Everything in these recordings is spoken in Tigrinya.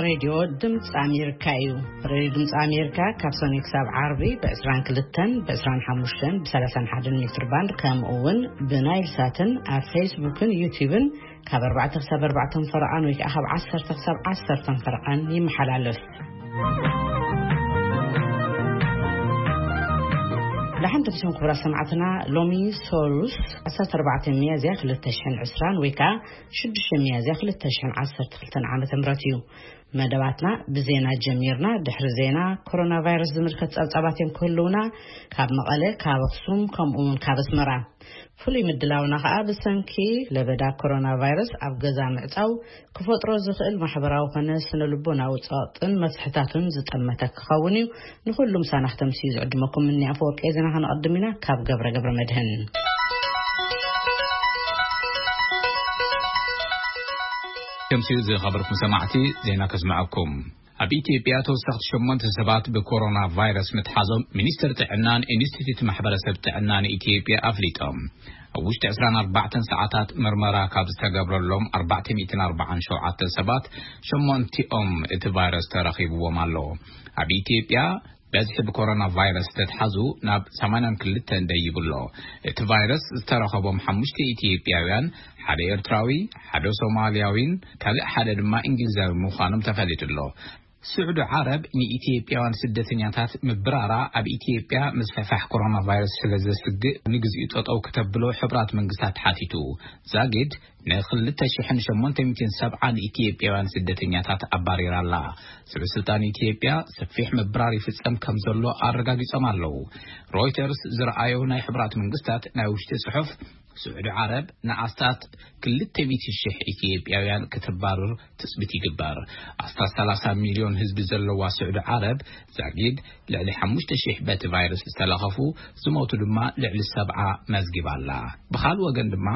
ሬድዮ ድምፂ ኣሜሪካ እዩ። ሬድዮ ድምፂ ኣሜሪካ ካብ ሰኑይ ክሳብ ዓርቢ ብ22፣ ብ25፣ ብ31 ሜትር ባንድ፣ ከምኡ እውን ብናይል ሳትን ኣብ ፌስቡክን ዩቲዩብን ካብ ኣርባዕተ ክሳብ ኣርባዕተ ፈረቓን ወይ ከዓ ካብ ዓሰርተ ክሳብ ዓሰርተ ፈረቓን ይመሓላለፍ። ደሓን ተመሲኹም ክቡራት ሰማዕትና። ሎሚ ሰሉስ ዓሰርተ ኣርባዕተ ሚያዝያ ክልተ ሽሕን ዕስራን ወይ ከዓ ሽዱሽተ ሚያዝያ ክልተ ሽሕን ዓሰርተ ክልተን ዓመተ ምህረት እዩ። መደባትና ብዜና ጀሚርና። ድሕሪ ዜና፣ ኮሮና ቫይረስ ዝምልከት ጸብጻባት እዮም ክህልውና፣ ካብ መቐለ፣ ካብ ኣኽሱም፣ ከምኡ እውን ካብ ኣስመራ። ፍሉይ ምድላውና ከኣ ብሰንኪ ለበዳ ኮሮና ቫይረስ ኣብ ገዛ ምዕጻው ክፈጥሮ ዝኽእል ማሕበራዊ ኾነ ስነ ልቦናዊ ጸቕጥን መፍትሕታቱን ዝጠመተ ክኸውን እዩ። ንኹሉ ምሳና ክተምስዩ ዝዕድመኩም እኒ ኣፈወርቂ ዜና። ከነቐድም ኢና ካብ ገብረ ገብረ መድህን። ከምሲኡ ዝኸበርኩም ሰማዕቲ፣ ዜና ከስምዐኩም። ኣብ ኢትዮጵያ ተወሰኽቲ ሸሞንተ ሰባት ብኮሮና ቫይረስ ምትሓዞም ሚኒስትር ጥዕናን ኢንስቲትዩት ማሕበረሰብ ጥዕናን ኢትዮጵያ ኣፍሊጦም። ኣብ ውሽጢ ዕስራን ኣርባዕተን ሰዓታት ምርመራ ካብ ዝተገብረሎም ኣርባዕተ ሚእትን ኣርባዓን ሸውዓተ ሰባት ሸሞንቲኦም እቲ ቫይረስ ተረኺብዎም ኣሎ። ኣብ ኢትዮጵያ በዝሒ ብኮሮና ቫይረስ ዝተትሓዙ ናብ ሰማንያን ክልተን ደይቡ ኣሎ። እቲ ቫይረስ ዝተረኸቦም ሓሙሽተ ኢትዮጵያውያን፣ ሓደ ኤርትራዊ፣ ሓደ ሶማልያዊን ካልእ ሓደ ድማ እንግሊዛዊ ምዃኖም ተፈሊጡ ኣሎ። ስዑዲ ዓረብ ንኢትዮጵያውያን ስደተኛታት ምብራራ ኣብ ኢትዮጵያ ምስፍሕፋሕ ኮሮና ቫይረስ ስለ ዘስግእ ንግዚኡ ጠጠው ክተብሎ ሕቡራት መንግስታት ሓቲቱ። ዛጊድ ንክልተ ሽሕን ሸሞንተ ሚእትን ሰብዓን ኢትዮጵያውያን ስደተኛታት ኣባሪራ ኣላ። ሰበ ስልጣን ኢትዮጵያ ሰፊሕ ምብራር ይፍጸም ከም ዘሎ ኣረጋጊጾም ኣለዉ። ሮይተርስ ዝረኣዮ ናይ ሕቡራት መንግስታት ናይ ውሽጢ ጽሑፍ፣ ስዑዲ ዓረብ ንኣስታት ክልተ ሚእቲ ሽሕ ኢትዮጵያውያን ክትባርር ትጽቢት ይግበር። ኣስታት ሰላሳ ሚልዮን ህዝቢ ዘለዋ ስዑዲ ዓረብ ዛጊድ ልዕሊ ሓሙሽተ ሽሕ በቲ ቫይረስ ዝተለኸፉ፣ ዝሞቱ ድማ ልዕሊ ሰብዓ መዝጊባ ኣላ። ብኻልእ ወገን ድማ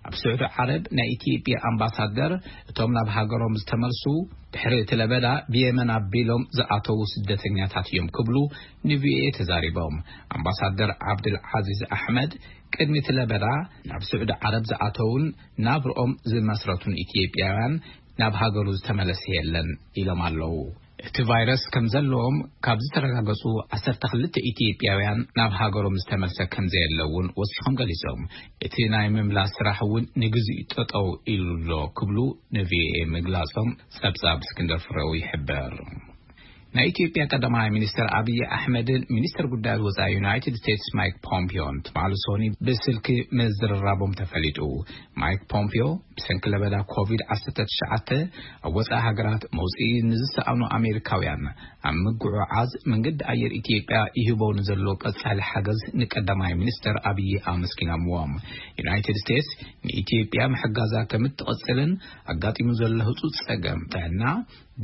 ኣብ ስዑዲ ዓረብ ናይ ኢትዮጵያ ኣምባሳደር፣ እቶም ናብ ሃገሮም ዝተመልሱ ድሕሪ እቲ ለበዳ ብየመን ኣቢሎም ዝኣተዉ ስደተኛታት እዮም ክብሉ ንቪኦኤ ተዛሪቦም። ኣምባሳደር ዓብድል ዓዚዝ ኣሕመድ ቅድሚ እቲ ለበዳ ናብ ስዑዲ ዓረብ ዝኣተዉን ናብርኦም ዝመስረቱን ኢትዮጵያውያን ናብ ሃገሩ ዝተመለሰ የለን ኢሎም ኣለዉ። እቲ ቫይረስ ከም ዘለዎም ካብ ዝተረጋገጹ ዓሰርተ ክልተ ኢትዮጵያውያን ናብ ሃገሮም ዝተመልሰ ከም ዘየለ እውን ወሲኾም ገሊጾም። እቲ ናይ ምምላስ ስራሕ እውን ንግዚኡ ጠጠው ኢሉ ኣሎ ክብሉ ንቪኦኤ ምግላጾም ጸብጻብ እስክንደር ፍሬው ይሕብር። ናይ ኢትዮጵያ ቀዳማይ ሚኒስትር ኣብይ ኣሕመድን ሚኒስትር ጉዳያት ወጻኢ ዩናይትድ ስቴትስ ማይክ ፖምፒዮን ትማሊ ሶኒ ብስልኪ ምዝርራቦም ተፈሊጡ። ማይክ ፖምፒዮ ብሰንኪ ለበዳ ኮቪድ ዓሰርተ ትሽዓተ ኣብ ወጻኢ ሃገራት መውጽኢ ንዝሰኣኑ ኣሜሪካውያን ኣብ ምጉዕዓዝ መንገዲ ኣየር ኢትዮጵያ ይህቦ ንዘሎ ቀጻሊ ሓገዝ ንቀዳማይ ሚኒስትር ኣብይ ኣመስጊኖምዎም። ዩናይትድ ስቴትስ ንኢትዮጵያ ምሕጋዛ ከም እትቕጽልን ኣጋጢሙ ዘሎ ህጹጽ ጸገም ጥዕና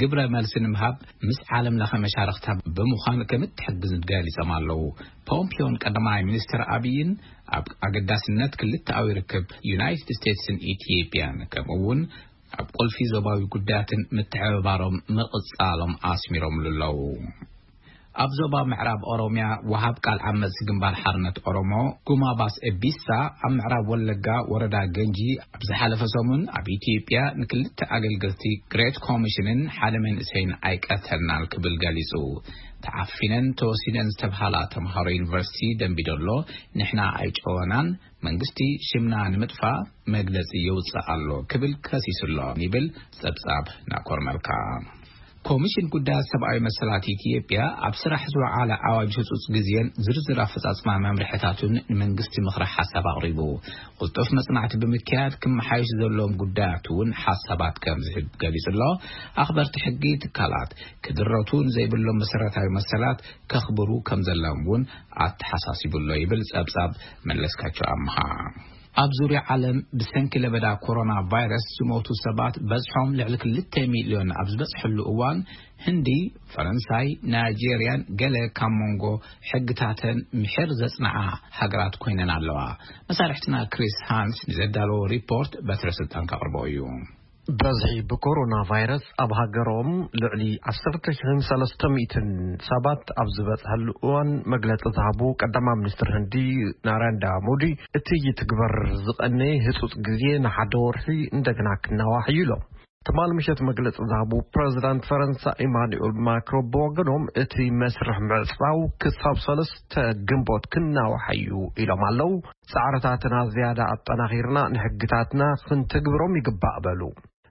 ግብረ መልሲ ንምሃብ ምስ ዓለም ለኸ መሻርኽታ ብምዃን ከም እትሕግዝ ገሊጾም ኣለዉ። ፖምፒዮን ቀዳማይ ሚኒስትር ኣብይን ኣብ ኣገዳስነት ክልተኣዊ ርክብ ዩናይትድ ስቴትስን ኢትዮጵያን ከምኡ እውን ኣብ ቁልፊ ዞባዊ ጉዳያትን ምትሕብባሮም ምቕጻሎም ኣስሚሮምሉ ኣለዉ። ኣብ ዞባ ምዕራብ ኦሮሚያ ወሃብ ቃል ዓመጽ ግንባር ሓርነት ኦሮሞ ጉማባስ ኤቢሳ ኣብ ምዕራብ ወለጋ ወረዳ ገንጂ ኣብ ዝሓለፈ ሰሙን ኣብ ኢትዮጵያ ንክልተ ኣገልገልቲ ግሬት ኮሚሽንን ሓደ መንእሰይን ኣይቀተልናን ክብል ገሊጹ። ተዓፊነን ተወሲደን ዝተብሃላ ተምሃሮ ዩኒቨርሲቲ ደንቢዶሎ ንሕና ኣይጨወናን፣ መንግስቲ ሽምና ንምጥፋእ መግለጺ የውጽእ ኣሎ ክብል ከሲሱ ኣሎ ይብል ጸብጻብ ናኮር መልካ። ኮሚሽን ጉዳያት ሰብኣዊ መሰላት ኢትዮጵያ ኣብ ስራሕ ዝወዓለ ኣዋጅ ህጹጽ ግዜን ዝርዝር ኣፈጻጽማ መምርሕታቱን ንመንግስቲ ምኽሪ ሓሳብ ኣቕሪቡ። ቅልጡፍ መጽናዕቲ ብምክያድ ክመሓየሽ ዘለዎም ጉዳያት እውን ሓሳባት ከም ዝህብ ገሊጹ ኣሎ። ኣኽበርቲ ሕጊ ትካላት ክድረቱ ንዘይብሎም መሰረታዊ መሰላት ከኽብሩ ከም ዘለዎም እውን ኣተሓሳሲቡ ኣሎ ይብል ጸብጻብ መለስካቸው ኣምሃ። ኣብ ዙርያ ዓለም ብሰንኪ ለበዳ ኮሮና ቫይረስ ዝሞቱ ሰባት በዝሖም ልዕሊ ክልተ ሚልዮን ኣብ ዝበጽሐሉ እዋን፣ ህንዲ፣ ፈረንሳይ፣ ናይጄርያን ገለ ካብ መንጎ ሕግታተን ምሒር ዘጽንዓ ሃገራት ኮይነን ኣለዋ። መሳርሕትና ክሪስ ሃንስ ንዘዳለዎ ሪፖርት በትረ ስልጣን ከቕርቦ እዩ። በዝሒ ብኮሮና ቫይረስ ኣብ ሃገሮም ልዕሊ ዓሰርተ ሽሕን ሰለስተ ሚእትን ሰባት ኣብ ዝበጽሐሉ እዋን መግለጺ ዝሃቡ ቀዳማይ ሚኒስትር ህንዲ ናራንዳ ሞዲ፣ እቲ ይትግበር ዝቐነየ ህጹጽ ግዜ ንሓደ ወርሒ እንደገና ክናዋሕ እዩ ኢሎም። ትማል ምሸት መግለጺ ዝሃቡ ፕረዚዳንት ፈረንሳ ኢማኑኤል ማክሮ ብወገኖም፣ እቲ መስርሕ ምዕጻው ክሳብ ሰለስተ ግንቦት ክናዋሕ እዩ ኢሎም ኣለዉ። ጻዕርታትና ዝያዳ ኣጠናኺርና ንሕግታትና ክንትግብሮም ይግባእ በሉ።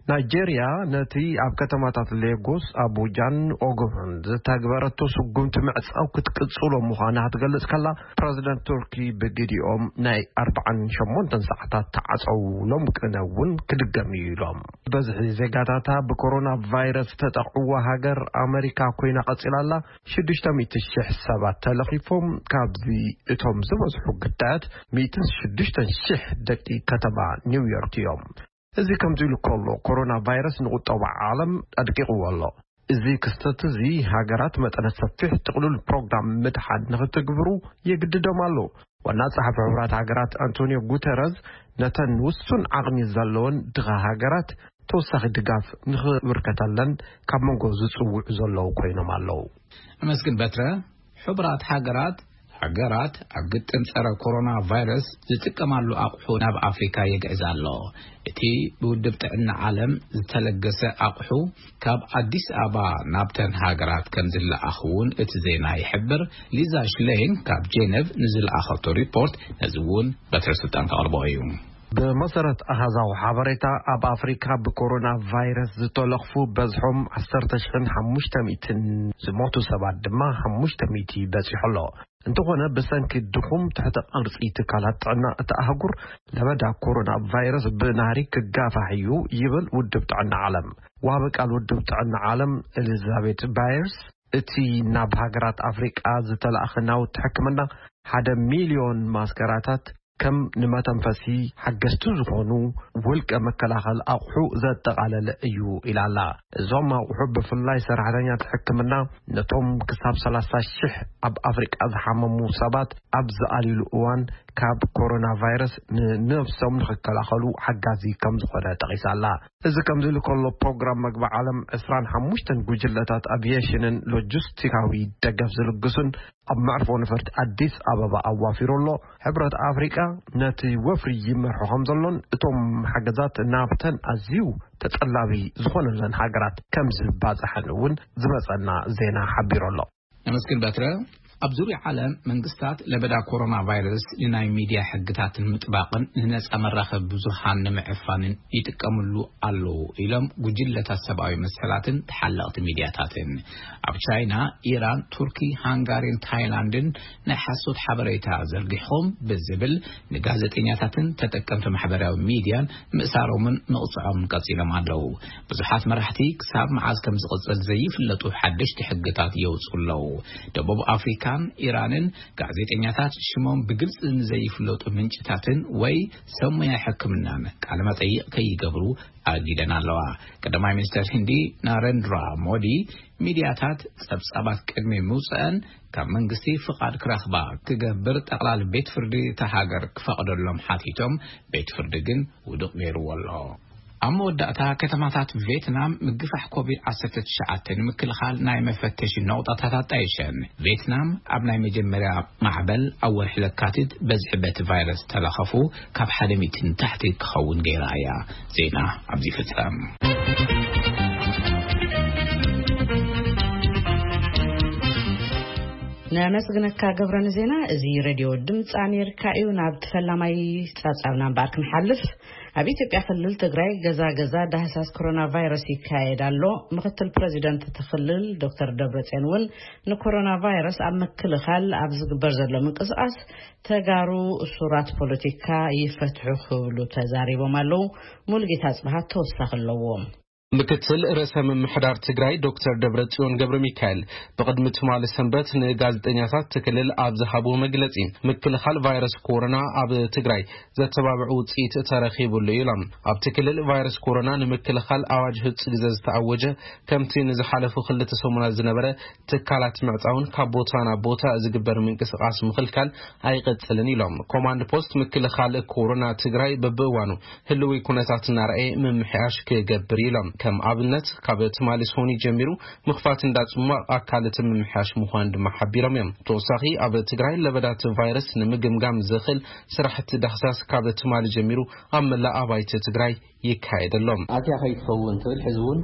ናይጄርያ ነቲ ኣብ ከተማታት ሌጎስ፣ ኣቡጃን ኦጎማን ዝተግበረቶ ስጉምቲ ምዕጻው ክትቅጽሎ ምዃና ክትገልጽ ከላ፣ ፕረዚደንት ቱርኪ ብግዲኦም ናይ ኣርባዓን ሸሞንተን ሰዓታት ተዓጸው ሎም ቅነ እውን ክድገም እዩ ኢሎም። በዝሒ ዜጋታታ ብኮሮና ቫይረስ ዝተጠቕዕዋ ሃገር ኣመሪካ ኮይና ቀጺላ ኣላ። ሽዱሽተ ሚእቲ ሽሕ ሰባት ተለኺፎም፣ ካብዚ እቶም ዝበዝሑ ግዳያት ሚእትን ሽዱሽተን ሽሕ ደቂ ከተማ ኒውዮርክ እዮም። እዚ ከምዚ ኢሉ ከሎ፣ ኮሮና ቫይረስ ንቁጠባ ዓለም ኣድቂቕዎ ኣሎ። እዚ ክስተት እዚ ሃገራት መጠነ ሰፊሕ ጥቕሉል ፕሮግራም ምድሓን ንክትግብሩ የግድዶም ኣሎ። ዋና ጸሓፊ ሕቡራት ሃገራት ኣንቶኒዮ ጉተረዝ ነተን ውሱን ዓቕሚ ዘለወን ድኻ ሃገራት ተወሳኺ ድጋፍ ንኽብርከተለን ካብ መንጎ ዝጽውዑ ዘለዉ ኮይኖም ኣለዉ። ኣመስግን በትረ። ሕቡራት ሃገራት፣ ሃገራት ኣብ ግጥም ጸረ ኮሮና ቫይረስ ዝጥቀማሉ ኣቑሑ ናብ ኣፍሪካ የግዕዝ ኣሎ። እቲ ብውድብ ጥዕና ዓለም ዝተለገሰ ኣቑሑ ካብ ኣዲስ ኣበባ ናብተን ሃገራት ከም ዝለኣኽ እውን እቲ ዜና ይሕብር። ሊዛ ሽሌን ካብ ጄነቭ ንዝለኣኸቶ ሪፖርት ነዚ እውን በትረ ስልጣን ከቕርቦ እዩ። ብመሰረት ኣሃዛዊ ሓበሬታ፣ ኣብ ኣፍሪካ ብኮሮና ቫይረስ ዝተለኽፉ በዝሖም ዓሰርተ ሽሕን ሓሙሽተ ሚእትን፣ ዝሞቱ ሰባት ድማ ሓሙሽተ ሚእቲ በጺሑ ኣሎ። እንተኾነ፣ ብሰንኪ ድኹም ትሕተ ቅርጺ ትካላት ጥዕና እታ ኣህጉር፣ ለበዳ ኮሮና ቫይረስ ብናህሪ ክጋፋሕ እዩ ይብል ውድብ ጥዕና ዓለም። ዋቢ ቃል ውድብ ጥዕና ዓለም ኤሊዛቤት ባየርስ፣ እቲ ናብ ሃገራት ኣፍሪቃ ዝተላእኸ ናውቲ ሕክምና፣ ሓደ ሚልዮን ማስከራታት፣ ከም ንመተንፈሲ ሓገዝቲ ዝኾኑ ውልቀ መከላኸል ኣቑሑ ዘጠቓለለ እዩ ኢላ ኣላ። እዞም ኣቑሑ ብፍላይ ሰራሕተኛታት ሕክምና ነቶም ክሳብ ሰላሳ ሽሕ ኣብ ኣፍሪቃ ዝሓመሙ ሰባት ኣብ ዝኣልዩሉ እዋን ካብ ኮሮና ቫይረስ ንነብሶም ንኽከላኸሉ ሓጋዚ ከም ዝኾነ ጠቒሳ ኣላ። እዚ ከምዚ ኢሉ ከሎ፣ ፕሮግራም መግቢ ዓለም ዕስራን ሓሙሽተን ጉጅለታት ኣቪዬሽንን ሎጂስቲካዊ ደገፍ ዝልግሱን ኣብ መዕርፎ ነፈርቲ ኣዲስ ኣበባ ኣዋፊሩ ኣሎ። ሕብረት ኣፍሪቃ ነቲ ወፍሪ ይመርሖ ከም ዘሎን እቶም ሓገዛት ናብተን ኣዝዩ ተጠላቢ ዝኾነለን ሃገራት ከም ዝባጽሐን እውን ዝመጸና ዜና ሓቢሩ ኣሎ። ነመስግን በትረ። ኣብ ዙርያ ዓለም መንግስታት ለበዳ ኮሮና ቫይረስ ንናይ ሚድያ ሕግታትን ምጥባቕን ንነጻ መራኸቢ ብዙሃን ንምዕፋንን ይጥቀምሉ ኣለዉ ኢሎም ጉጅለታት ሰብኣዊ መሰላትን ተሓለቕቲ ሚድያታትን። ኣብ ቻይና፣ ኢራን፣ ቱርኪ፣ ሃንጋሪን ታይላንድን ናይ ሓሶት ሓበሬታ ዘርጊሖም ብዝብል ንጋዜጠኛታትን ተጠቀምቲ ማሕበራዊ ሚድያን ምእሳሮምን ምቕጽዖምን ቀጺሎም ኣለዉ። ብዙሓት መራሕቲ ክሳብ መዓዝ ከም ዝቕጽል ዘይፍለጡ ሓደሽቲ ሕግታት የውጽኡ ኣለዉ። ደቡብ ኣፍሪካን ኢራንን ጋዜጠኛታት ሽሞም ብግልጺ ንዘይፍለጡ ምንጭታትን ወይ ሰብ ሞያ ሕክምናን ቃለ መጠይቕ ከይገብሩ ኣጊደን ኣለዋ። ቀዳማይ ሚኒስተር ህንዲ ናረንድራ ሞዲ፣ ሚድያታት ጸብጻባት ቅድሚ ምውጽአን ካብ መንግስቲ ፍቓድ ክረኽባ ክገብር ጠቕላሊ ቤት ፍርዲ እታ ሃገር ክፈቕደሎም ሓቲቶም፣ ቤት ፍርዲ ግን ውዱቕ ገይርዎ ኣሎ። ኣብ መወዳእታ፣ ከተማታት ቬትናም ምግፋሕ ኮቪድ ዓሰርተ ትሽዓተ ንምክልኻል ናይ መፈተሺ ነቑጣታት ኣጣይሸን። ቬትናም ኣብ ናይ መጀመርያ ማዕበል ኣብ ወርሒ ለካቲት በዝሒ በቲ ቫይረስ ተለኸፉ ካብ ሓደ ሚእቲ ንታሕቲ ክኸውን ገይራ እያ። ዜና ኣብዚ ይፍጸም። ነመስግነካ ገብረ ንዜና። እዚ ሬድዮ ድምፂ ኣሜሪካ እዩ። ናብ ፈላማይ ጸብጻብና እምበኣር ክንሓልፍ፣ ኣብ ኢትዮጵያ ክልል ትግራይ ገዛ ገዛ ዳህሳስ ኮሮና ቫይረስ ይካየድ ኣሎ። ምክትል ፕሬዚደንት እቲ ክልል ዶክተር ደብረጽዮን እውን ንኮሮና ቫይረስ ኣብ ምክልኻል ኣብ ዝግበር ዘሎ ምንቅስቓስ ተጋሩ እሱራት ፖለቲካ ይፈትሑ ክብሉ ተዛሪቦም ኣለዉ። ሙሉጌታ ኣጽብሃ ተወሳኺ ኣለዎ። ምክትል ርእሰ ምምሕዳር ትግራይ ዶክተር ደብረጽዮን ገብረ ሚካኤል ብቕድሚ ትማሊ ሰንበት ንጋዜጠኛታት እቲ ክልል ኣብ ዝሃብዎ መግለጺ፣ ምክልኻል ቫይረስ ኮሮና ኣብ ትግራይ ዘተባብዕ ውጽኢት ተረኺቡሉ ኢሎም። ኣብቲ ክልል ቫይረስ ኮሮና ንምክልኻል ኣዋጅ ህጹ ግዜ ዝተኣወጀ፣ ከምቲ ንዝሓለፉ ክልተ ሰሙናት ዝነበረ ትካላት ምዕጻውን ካብ ቦታ ናብ ቦታ ዝግበር ምንቅስቓስ ምኽልካል ኣይቐጽልን ኢሎም። ኮማንድ ፖስት ምክልኻል ኮሮና ትግራይ በብእዋኑ ህልዊ ኩነታት እናረኣየ ምምሕያሽ ክገብር ኢሎም። ከም ኣብነት ካብ ትማሊ ሶኒ ጀሚሩ ምኽፋት እንዳ ጽሟቕ ኣካል እቲ ምምሕያሽ ምዃን ድማ ሓቢሮም እዮም። ተወሳኺ ኣብ ትግራይ ለበዳ እቲ ቫይረስ ንምግምጋም ዘኽእል ስራሕቲ ዳህሳስ ካብ ትማሊ ጀሚሩ ኣብ መላእ ኣባይቲ ትግራይ ይካየድ ኣሎ። ኣትያ ከይትኸውን ትብል ሕዚ እውን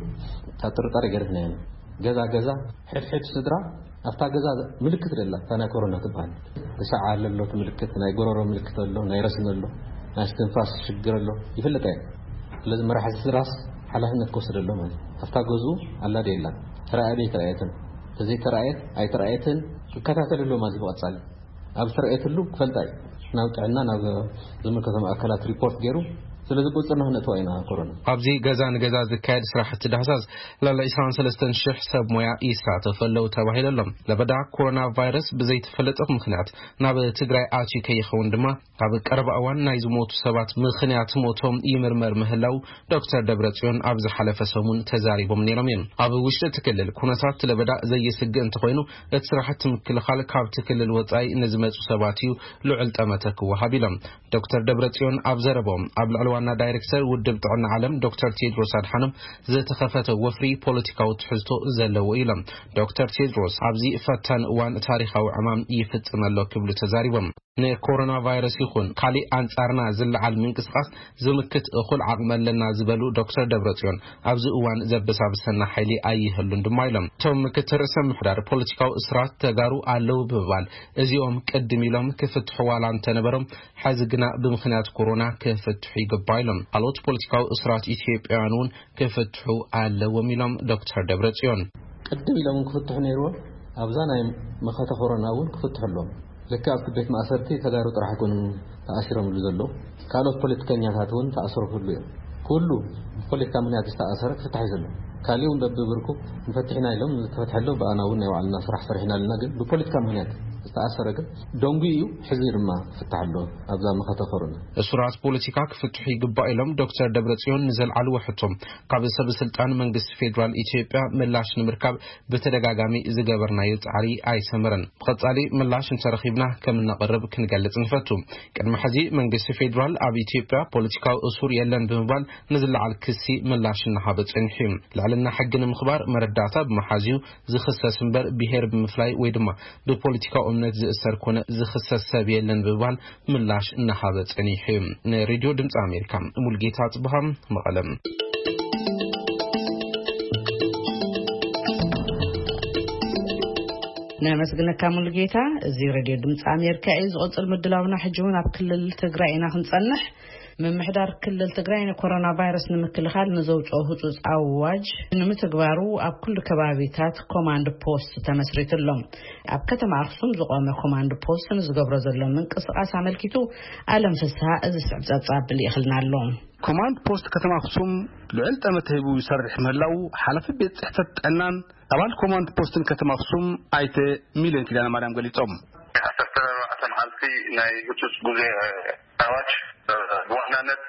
ካብ ጥርጣሬ ገርፍና ኢና። ገዛ ገዛ ሕድሕድ ስድራ ኣብታ ገዛ ምልክት ደላ እታ ናይ ኮሮና ትበሃል። ሰዓል ኣሎ እቲ ምልክት፣ ናይ ጎረሮ ምልክት ኣሎ፣ ናይ ረስኒ ኣሎ፣ ናይ ስትንፋስ ሽግር ኣሎ ይፍለጥ ኣየ። ስለዚ መራሒ ስድራስ ሓላፍነት ክወስድ ኣሎ ማለት ኣብታ ገዝኡ ኣላ ደ የላ ተረኣየ ዶ ኣይተረኣየትን፣ ተዘይተረኣየት ኣይተረኣየትን ክከታተል ኣሎ ማለት ብቐጻሊ ኣብ ዝተረኣየትሉ ክፈልጣ እዩ ናብ ጥዕና ናብ ዝምልከቶም ኣካላት ሪፖርት ገይሩ። ስለዚ ቁፅርና ክነእትዋ ኢና ኮሮና። ኣብዚ ገዛ ንገዛ ዝካየድ ስራሕቲ ዳህሳስ ልዕሊ ዕስራን ሰለስተን ሽሕ ሰብ ሞያ ይሳተፉ ኣለዉ ተባሂሉ ኣሎ። ለበዳ ኮሮና ቫይረስ ብዘይተፈለጠ ምክንያት ናብ ትግራይ ኣትዩ ከይኸውን ድማ ኣብ ቀረባ እዋን ናይ ዝሞቱ ሰባት ምክንያት ሞቶም ይምርመር ምህላው ዶክተር ደብረጽዮን ኣብ ዝሓለፈ ሰሙን ተዛሪቦም ነይሮም እዮም። ኣብ ውሽጢ እቲ ክልል ኩነታት ለበዳ ዘየስግእ እንተኾይኑ እቲ ስራሕቲ ምክልኻል ካብቲ ክልል ወጻኢ ንዝመጹ ሰባት እዩ ልዑል ጠመተ ክወሃብ ኢሎም። ዶክተር ደብረጽዮን ኣብ ዘረቦም ኣብ ልዕሊ ዋና ዳይሬክተር ውድብ ጥዕና ዓለም ዶክተር ቴድሮስ ኣድሓኖም ዝተኸፈተ ወፍሪ ፖለቲካዊ ትሕዝቶ ዘለዎ ኢሎም። ዶክተር ቴድሮስ ኣብዚ ፈታን እዋን ታሪኻዊ ዕማም ይፍጽም ኣሎ ክብሉ ተዛሪቦም። ንኮሮና ቫይረስ ይኹን ካሊእ ኣንጻርና ዝለዓል ምንቅስቃስ ዝምክት እኹል ዓቕሚ ኣለና ዝበሉ ዶክተር ደብረጽዮን ኣብዚ እዋን ዘበሳብሰና ሓይሊ ኣይህሉን ድማ ኢሎም። እቶም ምክትል ርእሰ ምሕዳር ፖለቲካዊ እስራት ተጋሩ ኣለዉ ብምባል እዚኦም ቅድም ኢሎም ክፍትሑ ዋላ እንተነበሮም ሕዚ ግና ብምኽንያት ኮሮና ክፍትሑ ይግባእ ኢሎም። ካልኦት ፖለቲካዊ እስራት ኢትዮጵያውያን እውን ክፍትሑ ኣለዎም ኢሎም ዶክተር ደብረጽዮን። ቅድም ኢሎም ክፍትሑ ነይርዎም ኣብዛ ናይ መኸተ ኮሮና እውን ክፍትሑ ኣለዎም። ልክዕ ኣብቲ ቤት ማእሰርቲ ተጋሩ ጥራሕ ኣይኮኑን ተኣሲሮምሉ ዘለዉ፣ ካልኦት ፖለቲከኛታት እውን ተኣስሮ ክህሉ እዮም። ኩሉ ብፖለቲካ ምክንያት ዝተኣሰረ ክፍታሕ እዩ ዘሎ። ካሊእ እውን በብብርኩ ንፈትሕና ኢሎም ዝተፈትሐ ኣሎ። ብኣና እውን ናይ ባዕልና ስራሕ ሰሪሕና ኣለና። ግን ብፖለቲካ ምክንያት ዝተኣሰረ ግን ደንጉ እዩ። ሕዚ ድማ ክፍታሕ ኣሎ ኣብዛ መኸተ ኮሮና። እሱራት ፖለቲካ ክፍትሑ ይግባእ ኢሎም ዶክተር ደብረጽዮን ንዘልዓልዎ ሕቶ ካብ ሰበ ስልጣን መንግስቲ ፌዴራል ኢትዮጵያ ምላሽ ንምርካብ ብተደጋጋሚ ዝገበርናዮ ጻዕሪ ኣይሰመረን። ብቐጻሊ ምላሽ እንተረኺብና ከም እነቕርብ ክንገልጽ ንፈቱ። ቅድሚ ሕዚ መንግስቲ ፌዴራል ኣብ ኢትዮጵያ ፖለቲካዊ እሱር የለን ብምባል ንዝለዓል ክሲ ምላሽ እናሃበ ጸኒሑ እዩ። ልዕልና ሕጊ ንምኽባር መረዳእታ ብምሓዝ እዩ ዝኽሰስ እምበር ብሄር ብምፍላይ ወይ ድማ ብፖለቲካዊ እምነት ዝእሰር ኮነ ዝኽሰስ ሰብ የለን ብምባል ምላሽ እናሃበ ጸኒሑ እዩ። ንሬድዮ ድምፂ ኣሜሪካ ሙልጌታ ጽብሃም መቐለም። ነመስግነካ ሙሉጌታ። እዚ ሬድዮ ድምፂ ኣሜሪካ እዩ። ዝቕፅል ምድላውና ሕጂ እውን ኣብ ክልል ትግራይ ኢና ክንፀንሕ። ምምሕዳር ክልል ትግራይ ንኮሮና ቫይረስ ንምክልኻል ንዘውፅኦ ህፁፅ ኣዋጅ ንምትግባሩ ኣብ ኩሉ ከባቢታት ኮማንድ ፖስት ተመስሪቱ ኣሎ። ኣብ ከተማ ኣክሱም ዝቆመ ኮማንድ ፖስት ንዝገብሮ ዘሎ ምንቅስቃስ ኣመልኪቱ ኣለም ፍስሃ እዚ ስዕብ ፀብፃብ ልኢኽልና ኣሎ። ኮማንድ ፖስት ከተማ ኣክሱም ልዑል ጠመተ ሂቡ ይሰርሕ ምህላው ሓላፊ ቤት ፅሕፈት ጥዕናን ኣባል ኮማንድ ፖስትን ከተማ ኣክሱም ኣይተ ሚልዮን ኪዳነ ማርያም ገሊፆም። ዓሰርተ ኣርባዕተ መዓልቲ ናይ ህፁፅ ግዜ ኣዋጅ ብዋናነት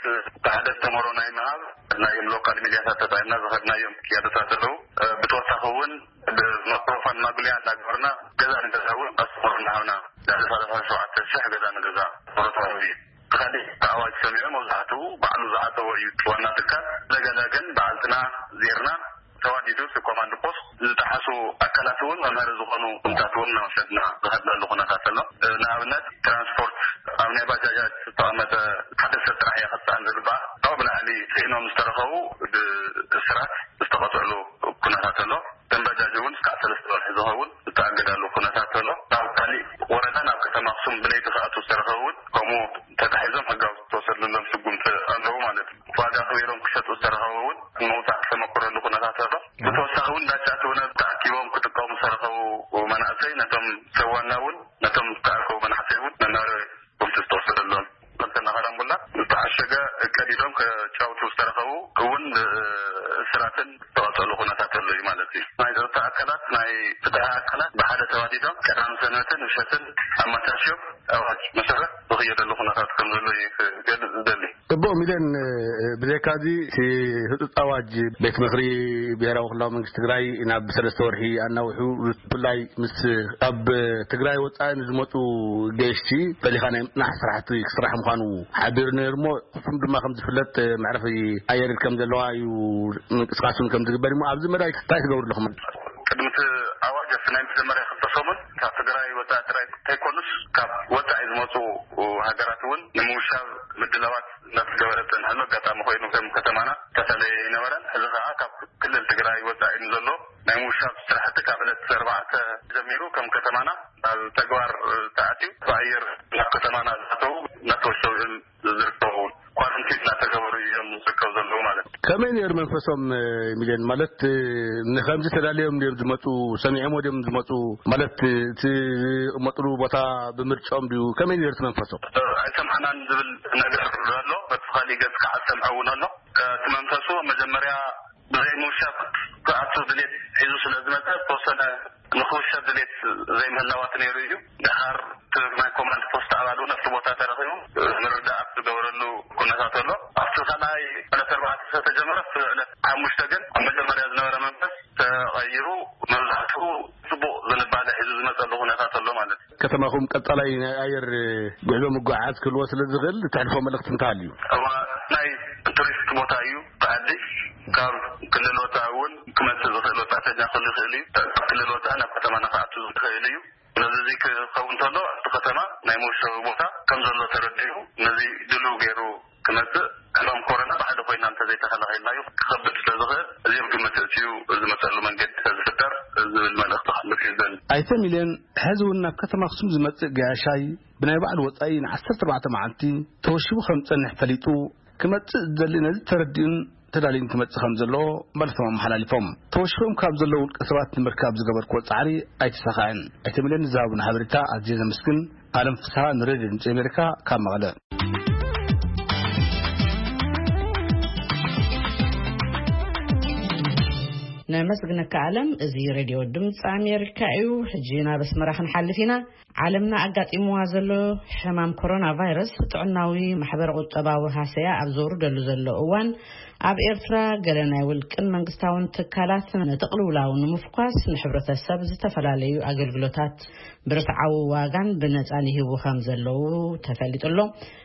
ተሓደስቲ መሮ ናይ ምሃብ ናይ ሎካል ሚድያታት ተጠቂምና ዝኸድናዮም ክያዶታት ኣለዉ። ብተወሳኺ እውን ብማይክሮፎን ማጉልያ እናገበርና ገዛ ንገዛ እውን ኣስተምህሮ እናሃብና ልዕሊ ሰላሳ ሸውዓተ ሽሕ ገዛ ንገዛ ኣስተምህሮ ተዋሂቡ እዩ። እቲ ካሊእ እቲ ኣዋጅ ሰሚዑ መብዛሕትኡ ባዕሉ ዝዓተቦ እዩ እቲ ዋና ትካል። እንደገና ግን በዓልትና ዜርና ተዋዲዱ እቲ ኮማንድ ፖስት ዝጠሓሱ ኣካላት እውን መምሃሪ ዝኾኑ ኩነታት እውን እናወሰድና ዝኸድናሉ ኩነታት ኣሎ። ንኣብነት ትራንስፖርት ኣብ ናይ ባጃጃት ዝተቐመጠ ሓደ ሰብ ጥራሕ እያ ክትፀዓን ዝግባኣ። ካብኡ ብላዕሊ ፅዒኖም ዝተረኸቡ ብእስራት ዝተቐፅዕሉ ኩነታት ኣሎ። እተን ባጃጅ እውን እስካዕ ሰለስተ ወርሒ ዝኸውን ዝተኣገዳሉ ኩነታት ኣሎ። ናብ ካሊእ ወረዳ ናብ ከተማ ኣክሱም ብለይቲ ክኣትዉ ዝተረኸቡ እውን ከምኡ ተታሒዞም ሕጋዊ ዝተወሰድሎም ስጉምቲ ኣለዉ ማለት እዩ። ዋጋ ክቢሮም ክሸጡ ዝተረኸቡ እውን ምውፃእ ዝተመክረሉ ኩነታት ኣሎ። ብተወሳኺ እውን ዳጫ እቲ እውን ተኣኪቦም ክጥቀሙ ዝተረኸቡ መናእሰይ ነቶም ሰብ ዋና እውን ነቶም ዝተኣከቡ መናእሰይ እውን መምሃሪ ስጉምቲ ዝተወሰደሎም። ከምተና ካራምቡላ ዝተዓሸገ ቀዲዶም ከጫውቱ ዝተረኸቡ እውን ብእስራትን ዝተቐፀሉ ኩነታት ኣሎ እዩ ማለት እዩ። ናይ ጸጥታ ኣካላት ናይ ኣካላት ብሓደ ተዋዲዶም ቀዳም ሰንበትን ምሸትን ኣመቻችዮም ኣዋጅ መሰረት ዝኽየደሉ ኩነታት ከም ዘሎ እዩ ክገልጽ ዝደሊ። ጽቡቕ ሚልዮን፣ ብዘይካዚ እቲ ህጹጽ ኣዋጅ ቤት ምኽሪ ብሄራዊ ክልላዊ መንግስቲ ትግራይ ናብ ሰለስተ ወርሒ ኣናውሑ፣ ብፍላይ ምስ ኣብ ትግራይ ወጻኢ ንዝመጹ ገየሽቲ ፈሊኻ ናይ ምጽናሕ ስራሕቲ ክስራሕ ምዃኑ ሓቢሩ ነይሩ እሞ፣ ንሱም ድማ ከም ዝፍለጥ መዕረፊ ኣየር ከም ዘለዋ እዩ ምንቅስቃስ እውን ከም ዝግበር እሞ፣ ኣብዚ መዳይ እንታይ ትገብሩ ኣለኹም? ቅድሚ እቲ ኣዋጅ ኣብቲ ናይ መጀመርያ ክልተ ሰሙን ካብ ትግራይ ወፃኢ ጥራይ እንተይኮኑስ ካብ ወፃኢ ዝመፁ ሃገራት እውን ንምውሻብ ምድላዋት እናተገበረ ዝፀንሐሉ ኣጋጣሚ ኮይኑ፣ ከም ከተማና ዝተፈለየ ኣይነበረን። ሕዚ ከዓ ካብ ክልል ትግራይ ወፃኢ ንዘሎ ናይ ምውሻብ ስራሕቲ ካብ ዕለት ኣርባዕተ ጀሚሩ ከም ከተማና ኣብ ተግባር ተኣትዩ፣ ብኣየር ናብ ከተማና ዝኣተዉ እናተወሸቡ እዮም ዝርከቡ። ኳረንቲን እናተገበሩ እዮም ዝርከቡ ዘለዉ ማለት እዩ። ከመይ ነይሩ መንፈሶም፣ ሚልዮን? ማለት ንከምዚ ተዳልዮም ድዮም ዝመፁ? ሰሚዖም ድዮም ዝመፁ? ማለት እቲ ዝቕመጥሉ ቦታ ብምርጫኦም ድዩ? ከመይ ነይሩ እቲ መንፈሶም? ኣይሰምዓናን ዝብል ነገር ኣሎ። በቲ ካሊእ ገፅ ከዓ ዝሰምዐ እውን ኣሎ። እቲ መንፈሱ መጀመርያ ብዘይ ምውሻብ ክኣቱ ድሌት ሒዙ ስለ ዝመፀ፣ ዝተወሰነ ንክውሸብ ድሌት ዘይምህላዋት ነይሩ እዩ። ድሓር እቲ ናይ ኮማንድ ፖስት ኣባል እውን ኣብቲ ቦታ ተረኺቡ ምርዳኣት ዝገበረሉ ኩነታት ኣሎ። ኣብቲ ካልኣይ ዕለት ኣርባዕተ ዝተጀመረ፣ ኣብቲ ዕለት ሓሙሽተ ግን ኣብ መጀመርያ ዝነበረ መንፈስ ተቐይሩ፣ መብዛሕትኡ ጽቡቕ ዝንባለ ሒዙ ዝመፀሉ ኩነታት ኣሎ ማለት እዩ። ከተማኹም ቀጻላይ ናይ ኣየር ጉዕዞ ምጉዓዝ ክህልዎ ስለ ዝኽእል፣ እተሕልፎ መልእኽቲ እንተሃልዩ? እዋ፣ ናይ ቱሪስት ቦታ እዩ። ብዓዲ ካብ ክልል ወፃኢ እውን ክመፅእ ዝኽእል ወፃእተኛ ክህሉ ይኽእል እዩ። ካብ ክልል ወፃኢ ናብ ከተማና ክኣቱ ዝኽእል እዩ። ስለዚ እዚ ክኸውን እንተሎ፣ ኣብቲ ከተማ ናይ መወሸቢ ቦታ ከም ዘሎ ተረዲኡ፣ ነዚ ድሉው ገይሩ ክመፅእ፣ ሕማም ኮሮና ብሓደ ኮይና እንተዘይተኸላኺልናዮ ክኸብድ ስለ ዝኽእል፣ እዚ ኣብ ግምት እትዩ ዝመፀሉ መንገዲ ተዝፍጠር ዝብል መልእኽቲ ክሕልፍ እዩ ዝደሊ። ኣይተ ሚልዮን፣ ሕዚ እውን ናብ ከተማ ኣኽሱም ዝመጽእ ገያሻይ ብናይ ባዕሉ ወጻኢ ንዓሰርተ ኣርባዕተ መዓልቲ ተወሺቡ ከም ዝጸንሕ ፈሊጡ፣ ክመጽእ ዝደሊ ነዚ ተረዲኡን ተዳልዩን ክመጽእ ከም ዘለዎ መልእኽቶም ኣመሓላሊፎም። ተወሺቦም ካብ ዘለዉ ውልቀ ሰባት ንምርካብ ዝገበርክዎ ጻዕሪ ኣይተሳኽዐን። ኣይተ ሚልዮን ንዝሃቡና ሓበሬታ ኣዝየ ዘመስግን። ኣለም ፍስሃ፣ ንሬድዮ ድምጺ ኣሜሪካ ካብ መቐለ። ነመስግነካ ኣለም። እዚ ሬድዮ ድምፂ ኣሜሪካ እዩ። ሕጂ ናብ ኣስመራ ክንሓልፍ ኢና። ዓለምና ኣጋጢምዋ ዘሎ ሕማም ኮሮና ቫይረስ ጥዕናዊ ማሕበረ ቁጠባዊ ሃሰያ ኣብ ዘውርደሉ ዘሎ እዋን፣ ኣብ ኤርትራ ገለ ናይ ውልቅን መንግስታውን ትካላት ነቲ ቅልውላው ንምፍኳስ ንሕብረተሰብ ዝተፈላለዩ ኣገልግሎታት ብርትዓዊ ዋጋን ብነፃን ይህቡ ከም ዘለዉ ተፈሊጡ ኣሎ።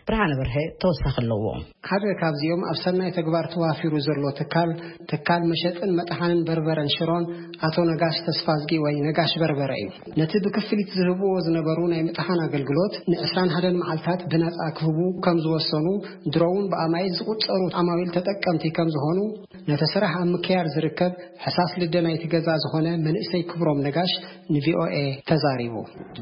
ብርሃነ በርሀ ተወሳኺ ኣለዎ። ሓደ ካብዚኦም ኣብ ሰናይ ተግባር ተዋፊሩ ዘሎ ትካል፣ ትካል መሸጥን መጥሓንን በርበረን ሽሮን ኣቶ ነጋሽ ተስፋዝጊ ወይ ነጋሽ በርበረ እዩ። ነቲ ብክፍሊት ዝህብዎ ዝነበሩ ናይ ምጥሓን ኣገልግሎት ንዕስራን ሓደን መዓልታት ብነጻ ክህቡ ከም ዝወሰኑ፣ ድሮውን ብኣማኢት ዝቑጸሩ ዓማዊል ተጠቀምቲ ከም ዝኾኑ፣ ነቲ ስራሕ ኣብ ምክያድ ዝርከብ ሕሳስ ልደ ናይቲ ገዛ ዝኾነ መንእሰይ ክብሮም ነጋሽ ንቪኦኤ ተዛሪቡ።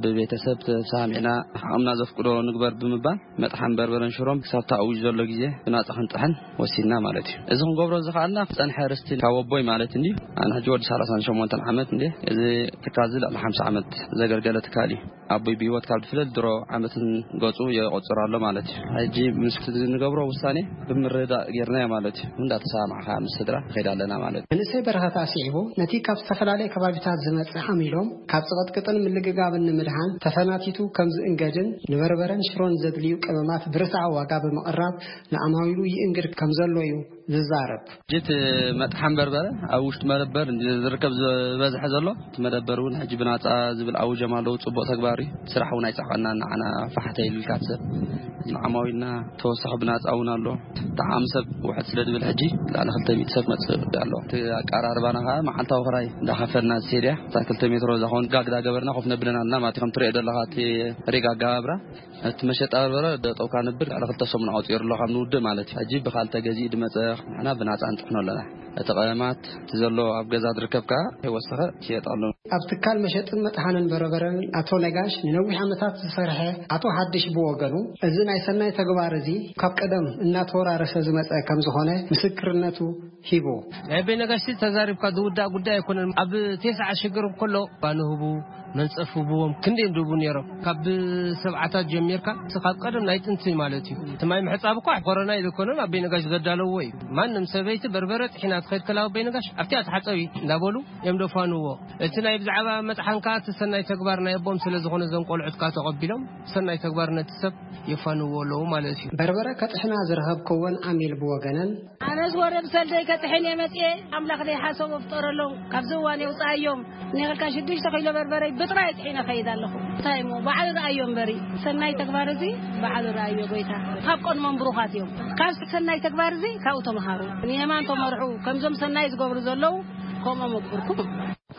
ብቤተሰብ ተሰማሚዕና ዓቕምና ዘፍቅዶ ንግበር ብምባል መጥሓን በርበረን ሽሮም ክሳብ ተኣዊጅ ዘሎ ግዜ ብናጻ ክንጥሕን ወሲንና ማለት እዩ። እዚ ክንገብሮ ዝኸኣልና ዝጸንሐ ርስቲ ካብ ኣቦይ ማለት እንድዩ። ኣነ ሕጂ ወዲ ሰላሳን ሸሞንተን ዓመት እንድየ። እዚ ትካል እዚ ልዕሊ ሓምሳ ዓመት ዘገልገለ ትካል እዩ። ኣቦይ ብህይወት ካብ ዝፍለጥ ድሮ ዓመትን ገጹ የቆጽር ኣሎ ማለት እዩ። ሕጂ ምስ ዝንገብሮ ውሳኔ ብምርዳእ ጌርናዮ ማለት እዩ። እንዳተሰማማዕካ ምስ ስድራ ንኸይድ ኣለና ማለት እዩ። መንእሰይ በረኸት ኣስዒቡ፣ ነቲ ካብ ዝተፈላለየ ከባቢታት ዝመጽእ ሓሚሎም ካብ ጽቕጥቅጥን ምልግጋብን ንምድሓን ተፈናቲቱ ከም ዝእንገድን ንበርበረን ሽሮን ዘድልዩ ቀመማት ብርትዓዊ ዋጋ ብምቕራብ ንዓማዊሉ ይእንግድ ከም ዘሎ እዩ ዝዛረብ። ጅት መጥሓን በርበረ ኣብ ውሽጢ መደበር እንዲ ዝርከብ ዝበዝሐ ዘሎ፣ እቲ መደበር እውን ሕጂ ብናጻ ዝብል ኣውጀም ኣለዉ። ጽቡቕ ተግባር እዩ። ስራሕ እውን ኣይጸዓቀናን ንዓና ፋሕተ ኢሉ ኢልካ ትሰብ። ንዓማዊልና ተወሳኺ ብናጻ እውን ኣሎ። ጠዓሚ ሰብ ውሕድ ስለ ዝብል ሕጂ ልዕሊ ክልተ ሚእቲ ሰብ መጽእ ኣሎ። እቲ ኣቀራርባና ከዓ መዓልታዊ ክራይ እንዳኸፈልና ዝሴድያ እታ ክልተ ሜትሮ እዛ ኾን ጋግ እንዳገበርና ኮፍ ነብለን ኣለና ማለት እዩ። ከም ትሪኦ ዘለኻ እቲ ሪግ ኣገባብራ እቲ መሸጣ በርበረ ደጠውካ ነብር ልዕሊ ክልተ ሰሙን ኣውፂሩ ኣሎ ካብ ንውድእ ማለት እዩ። ሕጂ ብካልተ ገዚኡ ድመፀ ንሕና ብናፃ ንጥሕኖ ኣለና። እቲ ቀመማት እቲ ዘሎ ኣብ ገዛ ዝርከብ ከዓ ከይወሰኸ ይሸየጥ ኣሎ። ኣብ ትካል መሸጥን መጥሓንን በርበረን ኣቶ ነጋሽ ንነዊሕ ዓመታት ዝሰርሐ ኣቶ ሓድሽ ብወገኑ፣ እዚ ናይ ሰናይ ተግባር እዚ ካብ ቀደም እናተወራረሰ ዝመጸ ከም ዝኾነ ምስክርነቱ ሂቡ። ናይ ኣቤ ነጋሽ ተዛሪብካ ዝውዳእ ጉዳይ ኣይኮነን። ኣብ ቴስዓ ሽግር እንከሎ ባንህቡ መንጸፍ ህብዎም ክንደይ ድቡ ነይሮም። ካብ ሰብዓታት ጀሚርካ፣ እቲ ካብ ቀደም ናይ ጥንቲ ማለት እዩ። እቲ ማይ ምሕጻብ እኳ ኮሮና ኢሉ ኮነ፣ ኣብ ቤነጋሽ ዘዳለዎ እዩ። ማንም ሰበይቲ በርበረ ጥሒና ትኸይድ ከላ ኣብ ቤነጋሽ፣ ኣብቲኣ ተሓጸቢ እንዳበሉ እዮም ደፋንዎ። እቲ ናይ ብዛዕባ መጥሓን ከኣ እቲ ሰናይ ተግባር ናይ ኣቦም ስለ ዝኾነ፣ እዞም ቆልዑት ከኣ ተቐቢሎም ሰናይ ተግባር ነቲ ሰብ የፋንዎ ኣለዉ ማለት እዩ። በርበረ ከጥሕና ዝረኸብክወን ኣሚል ብወገነን፣ ኣነስ ወረ ብሰልደይ ከጥሕን እየ መጽየ፣ ኣምላኽ ደይ ሓሰቦ ፍጠረሎም፣ ካብዚ እዋን የውጽኣዮም። ንኽልካ ሽዱሽተ ኪሎ በርበረይ ብጥራይ ጥሒነ ኸይድ ኣለኹ። እንታይ እሞ፣ ባዕሉ ረኣዮ እምበሪ፣ ሰናይ ተግባር እዚ ባዕሉ ረኣዮ ጎይታ። ካብ ቀድሞም ብሩኻት እዮም። ካብ ሰናይ ተግባር እዚ ካብኡ ተምሃሩ። ንየማን ተመርሑ፣ ከምዞም ሰናይ ዝገብሩ ዘለዉ፣ ከምኦም ኣግብርኩም።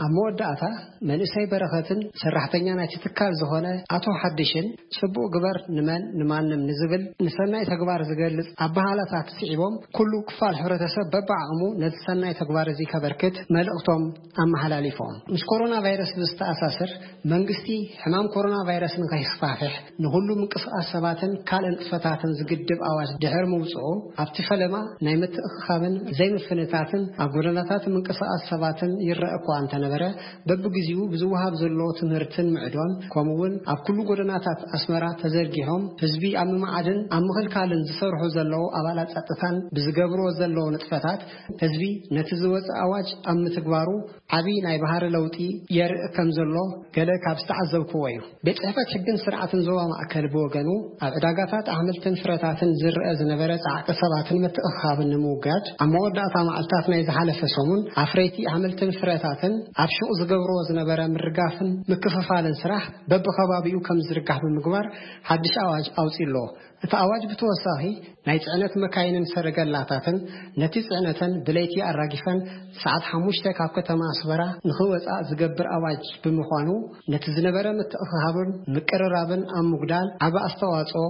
ኣብ መወዳእታ፣ መንእሰይ በረኸትን ሰራሕተኛ ናይቲ ትካል ዝኾነ ኣቶ ሓድሽን፣ "ጽቡቕ ግበር ንመን ንማንም" ንዝብል ንሰናይ ተግባር ዝገልጽ ኣበሃህላታት ስዒቦም፣ ኩሉ ክፋል ሕብረተሰብ በብዓቕሙ ነቲ ሰናይ ተግባር እዚ ከበርክት መልእኽቶም ኣመሓላሊፎም። ምስ ኮሮና ቫይረስ ብዝተኣሳሰር፣ መንግስቲ ሕማም ኮሮና ቫይረስ ንኸይስፋሕፍሕ ንኹሉ ምንቅስቓስ ሰባትን ካልእ ንጥፈታትን ዝግድብ ኣዋጅ ድሕሪ ምውጽኡ፣ ኣብቲ ፈለማ ናይ ምትእኽኻብን ዘይምፍንታትን ኣብ ጎደናታት ምንቅስቓስ ሰባትን ይረአ እኳ እንተነበረ፣ በብግዜኡ ብዝወሃብ ዘሎ ትምህርትን ምዕዶን፣ ከምኡ'ውን ኣብ ኩሉ ጎደናታት ኣስመራ ተዘርጊሖም ህዝቢ ኣብ ምምዓድን ኣብ ምኽልካልን ዝሰርሑ ዘለዉ ኣባላት ጸጥታን ብዝገብርዎ ዘለዉ ንጥፈታት፣ ህዝቢ ነቲ ዝወጸ ኣዋጅ ኣብ ምትግባሩ ዓቢ ናይ ባህሪ ለውጢ የርኢ ከም ዘሎ ገለ ካብ ዝተዓዘብክዎ እዩ። ቤት ጽሕፈት ሕግን ስርዓትን ዞባ ማእከል ብወገኑ፣ ኣብ ዕዳጋታት ኣሕምልትን ፍረታትን ዝረአ ዝነበረ ጻዕቂ ሰባትን ምትእኽኻብን ንምውጋድ፣ ኣብ መወዳእታ መዓልታት ናይ ዝሓለፈ ሰሙን፣ ኣፍረይቲ ኣሕምልትን ፍረታትን ኣብ ሹቕ ዝገብርዎ ዝነበረ ምርጋፍን ምክፍፋልን ስራሕ በብኸባቢኡ ከም ዝዝርጋሕ ብምግባር፣ ሓድሽ ኣዋጅ ኣውጺኡ ኣሎ። እቲ ኣዋጅ ብተወሳኺ፣ ናይ ጽዕነት መካይንን ሰረገላታትን ነቲ ጽዕነተን ብለይቲ ኣራጊፈን ሰዓት ሓሙሽተ ካብ ከተማ ኣስመራ ንኽወጻ ዝገብር ኣዋጅ ብምዃኑ፣ ነቲ ዝነበረ ምትእኽኻብን ምቅርራብን ኣብ ምጉዳል ዓቢ ኣስተዋጽኦ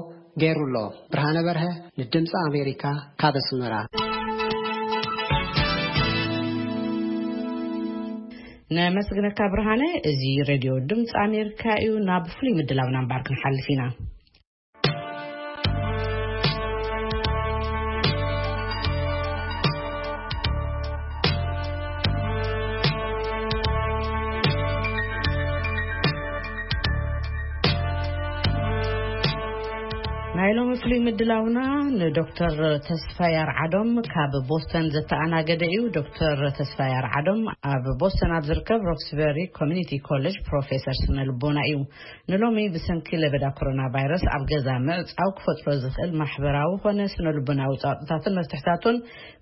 ገይሩ ኣሎ። ብርሃነ በርሀ ንድምጺ ኣሜሪካ ካብ ኣስመራ። ነመስግነካ ብርሃነ። እዚ ሬድዮ ድምፂ ኣሜሪካ እዩ። ናብ ፍሉይ ምድላውና እምበር ክንሓልፍ ኢና። ናይ ሎሚ ፍሉይ ምድላውና ንዶክተር ተስፋይ ኣርዓዶም ካብ ቦስተን ዘተኣናገደ እዩ። ዶክተር ተስፋይ ኣርዓዶም ኣብ ቦስተን ኣብ ዝርከብ ሮክስበሪ ኮሚኒቲ ኮሌጅ ፕሮፌሰር ስነ ልቦና እዩ። ንሎሚ ብሰንኪ ለበዳ ኮሮና ቫይረስ ኣብ ገዛ ምዕጻው ክፈጥሮ ዝኽእል ማሕበራዊ ኾነ ስነ ልቦናዊ ጻውጥታትን መፍትሕታቱን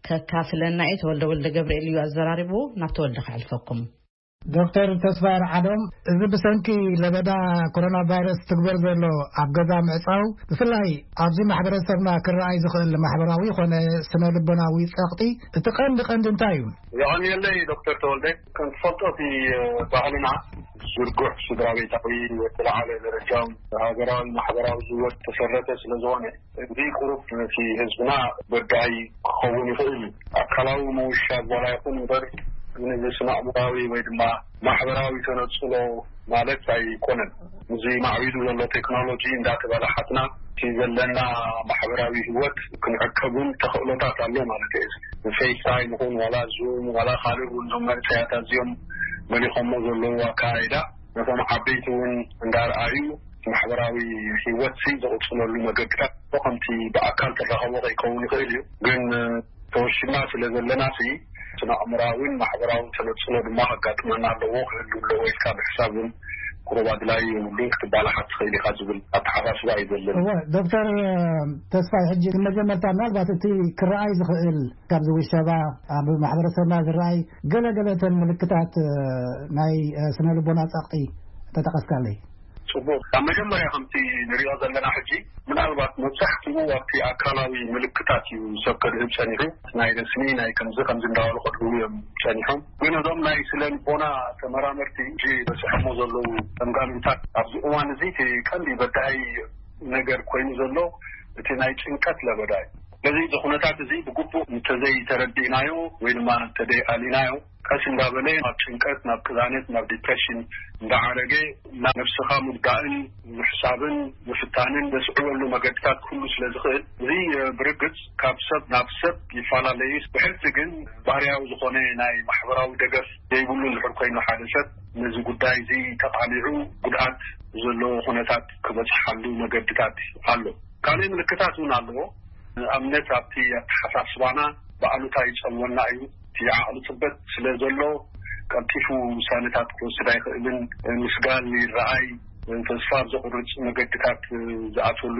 ከካፍለና እዩ። ተወልደ ወልደ ገብርኤል እዩ ኣዘራሪቡ። ናብ ተወልደ ከሕልፈኩም። ዶክተር ተስፋይ ኣርዓዶም፣ እዚ ብሰንኪ ለበዳ ኮሮና ቫይረስ ትግበር ዘሎ ኣብ ገዛ ምዕጻው፣ ብፍላይ ኣብዚ ማሕበረሰብና ክረኣይ ዝኽእል ማሕበራዊ ኾነ ስነ ልቦናዊ ጸቕጢ፣ እቲ ቀንዲ ቀንዲ እንታይ እዩ? የቐንየለይ ዶክተር ተወልደ። ከም ትፈልጦ እቲ ባህልና ዝርጉሕ ስድራ ቤታዊ፣ ወተለዓለ ደረጃ ሃገራዊ ማሕበራዊ ህይወት ተሰረተ ስለ ዝኾነ፣ እዚ ቁሩብ ነቲ ህዝብና በዳሂ ክኸውን ይኽእል እዩ። ኣካላዊ ምውሻብ ዋላ ይኹን እምበር፣ ነዚ ስነ ኣእምራዊ ወይ ድማ ማሕበራዊ ተነጽሎ ማለት ኣይኮነን። እዚ ማዕቢሉ ዘሎ ቴክኖሎጂ እንዳተበላሓትና፣ እቲ ዘለና ማሕበራዊ ህይወት ክንዕቀቡን ተኽእሎታት ኣሎ ማለት እዩ። ብፌስታይም ይኹን ዋላ ዙም ዋላ ካልእ እውን፣ እዞም መንእሰያት ኣዝዮም መሊኾሞ ዘለዉ ኣካይዳ፣ ነቶም ዓበይቲ እውን እንዳርኣዩ ማሕበራዊ ህይወት ሲ ዝቕጽለሉ መገድታት ከምቲ ብኣካል ትራኸቦ ከይከውን ይኽእል እዩ። ግን ተወሽና ስለ ዘለና ሲ፣ ስነ ኣእምራዊን ማሕበራዊ ተነጽሎ ድማ ከጋጥመና ኣለዎ፣ ክህሉ ኣለዎ ኢልካ ምሕሳብ እውን ቁሩብ ኣድላዪ የብሉን፣ ክትባላሓት ትኽእል ኢኻ ዝብል ኣተሓሳስባ እዩ ዘለኒ። እወ፣ ዶክተር ተስፋይ፣ ሕጂ መጀመርታ ምናልባት እቲ ክረኣይ ዝኽእል ካብዚ ውሸባ ኣብ ማሕበረሰብና ዝረኣይ ገለ ገለ እተን ምልክታት ናይ ስነ ልቦና ጸቕጢ ተጠቐስካለይ። ጽቡቕ። ኣብ መጀመርያ ከምቲ ንሪኦ ዘለና ሕጂ ምናልባት መብዛሕትኡ ኣብቲ ኣካላዊ ምልክታት እዩ ሰብ ከድህብ ጸኒሑ። ናይ ረስኒ፣ ናይ ከምዚ ከምዚ እንዳበሉ ከድህቡ እዮም ጸኒሖም። ግን እዞም ናይ ስነ ልቦና ተመራመርቲ ሕጂ በጺሖሞ ዘለዉ ገምጋምታት ኣብዚ እዋን እዚ እቲ ቀንዲ በዳሂ ነገር ኮይኑ ዘሎ እቲ ናይ ጭንቀት ለበዳ እዩ። ስለዚ እዚ ኩነታት እዚ ብግቡእ እንተዘይተረዲእናዮ ወይ ድማ እንተዘይኣሊናዮ፣ ቀስ እንዳበለ ናብ ጭንቀት፣ ናብ ቅዛነት፣ ናብ ዲፕሬሽን እንዳዓረገ፣ ናብ ነብስኻ ምጉዳእን ምሕሳብን ምፍታንን ዘስዕበሉ መገድታት ክህሉ ስለ ዝኽእል፣ እዚ ብርግጽ ካብ ሰብ ናብ ሰብ ይፈላለዩ። ብሕልፊ ግን ባህርያዊ ዝኾነ ናይ ማሕበራዊ ደገፍ ዘይብሉ እንድሕር ኮይኑ፣ ሓደ ሰብ ነዚ ጉዳይ እዚ ተቓሊዑ ጉድኣት ዘለዎ ኩነታት ክበጽሓሉ መገድታት ኣሎ። ካልእ ምልክታት እውን ኣለዎ። ንኣብነት ኣብቲ ኣተሓሳስባና ብኣሉታ ይጸልወና እዩ። እቲ ዓቕሊ ጽበት ስለ ዘሎ ቀልጢፉ ውሳነታት ክወስድ ኣይኽእልን። ምስጋል ይረኣይ፣ ተስፋ ኣብ ዘቑርጽ መገድታት ዝኣትወሉ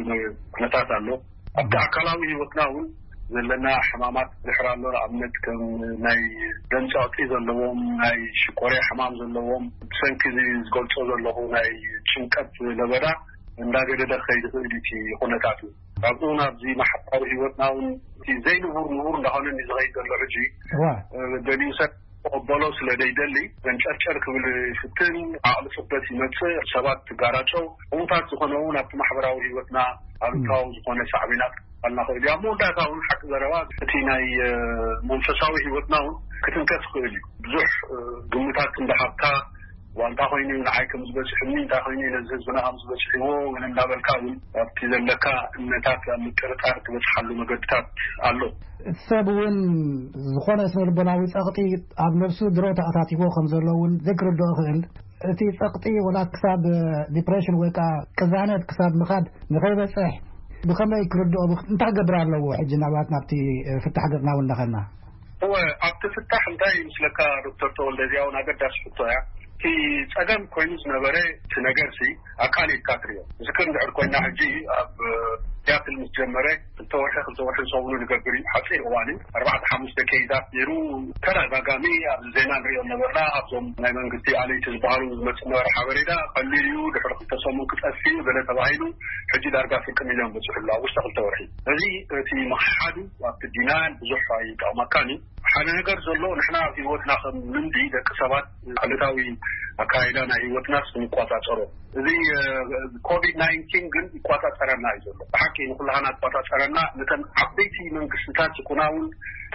ኩነታት ኣሎ። ኣብቲ ኣካላዊ ህይወትና እውን ዘለና ሕማማት ድሕር ኣሎ። ንኣብነት ከም ናይ ደም ጸቕጢ ዘለዎም፣ ናይ ሽኮርያ ሕማም ዘለዎም፣ ብሰንኪ እዚ ዝገልጾ ዘለኹ ናይ ጭንቀት ለበዳ እንዳገደደ ክኸይድ ይኽእል እዩ እቲ ኩነታት እዩ። ካብኡ ናብዚ ማሕበራዊ ህይወትና እውን እቲ ዘይንቡር ንቡር እንዳኾነ እዩ ዝኸይድ ዘሎ። ሕጂ እዋ። እ፣ ገሊኡ ሰብ ክቕበሎ ስለ ዘይደሊ መንጨርጨር ክብል ይፍትን፣ ዓቕሊ ጽበት ይመጽእ፣ ሰባት ትጋራጨው፣ ዕዉታት ዝኾነ እውን ኣብቲ ማሕበራዊ ህይወትና ኣሉታዊ ዝኾነ ሳዕቤናት ኣልና ክእል እዩ። ኣብ መወዳእታ እውን ሓቂ ዘረባ እቲ ናይ፣ እ፣ መንፈሳዊ ህይወትና እውን ክትንከፍ ይኽእል እዩ። ብዙሕ፣ እ፣ ግምታት እንዳሃብካ ዋንታ ኮይኑ ንዓይ ከም ዝበፅሕኒ፣ እንታይ ኮይኑ ነዚ ህዝብና ከም ዝበፅሕዎ እውን እንዳበልካ እውን ኣብቲ ዘለካ እምነታት ኣብ ምጥርጣር ትበፅሓሉ መገድታት ኣሎ። እቲ ሰብ እውን ዝኾነ ስነ ልቦናዊ ጸቕጢ ኣብ ነብሱ ድሮ ተኣታቲዎ ከም ዘሎ እውን ዘይክርድኦ ይኽእል። እቲ ጸቕጢ ወላ ክሳብ ዲፕሬሽን ወይ ከኣ ቅዛነት ክሳብ ምኻድ ንኸይበጽሕ ብኸመይ ክርድኦ፣ ብኽ-፣ እንታይ ክገብር ኣለዎ? ሕጂ ናብኣት ናብቲ ፍታሕ ገጽና እውን እንዳኸድና። እወ፣ ኣብቲ ፍታሕ እንታይ ይመስለካ ዶክተር ተወልደ? እዚኣ እውን ኣገዳሲ ሕቶ እያ። እቲ ጸገም ኮይኑ ዝነበረ እቲ ነገርሲ ኣቃሊልካ ትሪኦ። ዝክር እንድሕር ኮይና ሕጂ ኣብ ሲያትል ምስ ጀመረ ክልተ ወርሒ፣ ክልተ ወርሒ ዝኸውን ንገብር እዩ። ሓፂር እዋን እዩ። ኣርባዕተ ሓሙሽተ ኬይዛት ነይሩ። ተደጋጋሚ ኣብ ዜና ንሪኦ ነበርና። ኣብዞም ናይ መንግስቲ ኣለይቲ ዝበሃሉ ዝመፅእ ነበረ ሓበሬታ ቀሊል እዩ። ድሕሪ ክልተ ሰሙን ክጠፍእ እዩ ገለ ተባሂሉ። ሕጂ ዳርጋ ፍርቂ ሚልዮን በፂሑ ኣሎ ኣብ ውሽጢ ክልተ ወርሒ። እዚ እቲ ምኽሓዱ ኣብቲ ዲናል ብዙሕ ኣይጠቕመካን እዩ። ሓደ ነገር ዘሎ፣ ንሕና ኣብ ህይወትና ከም ልምዲ ደቂ ሰባት ዕለታዊ ኣካይዳ ናይ ህይወትናስ ንቆጻጸሮ። እዚ፣ እ፣ ኮቪድ ናይንቲን ግን ይቆጻጸረና እዩ ዘሎ። ብሓቂ ንኩላህና ይቆጻጸረና። ነተን ዓበይቲ መንግስትታት ይኩና እውን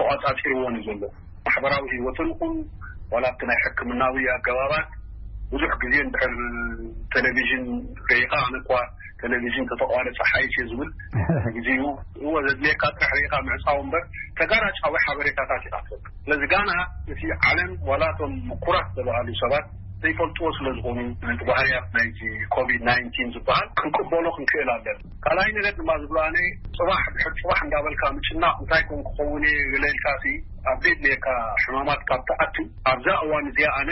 ተቆጻጺርዎን እዩ ዘሎ። ማሕበራዊ ህይወትን ይኹን ዋላ ኣብቲ ናይ ሕክምናዊ ኣገባባት ብዙሕ ግዜ እንድሕር ቴሌቪዥን ርኢኻ፣ ኣነ እኳ ቴሌቪዥን ተተቋረጸ ሓይሽ እየ ዝብል ግዜኡ። እወ፣ ዘድልየካ ጥራሕ ርኢኻ ምዕጻው እምበር ተጋራጫዊ ሓበሬታታት ኢኻ ትረክብ። ስለዚ ጋና እቲ ዓለም ዋላ እቶም ምኩራት ዝተባሃሉ ሰባት ዘይፈልጥዎ ስለ ዝኾኑ ነቲ ባህርያት ናይቲ ኮቪድ ናይንቲን ዝበሃል ክንቅበሎ ክንክእል ኣለና። ካልኣይ ነገር ድማ ዝብሎ ኣነ ጽባሕ ድሕር ጽባሕ እንዳበልካ ምጭናቕ እንታይ ኮን ክኸውን እየ ገለ ኢልካ ሲ ኣብ ዘድልየካ ሕማማት ካብ ትኣቱ ኣብዛ እዋን እዚኣ ኣነ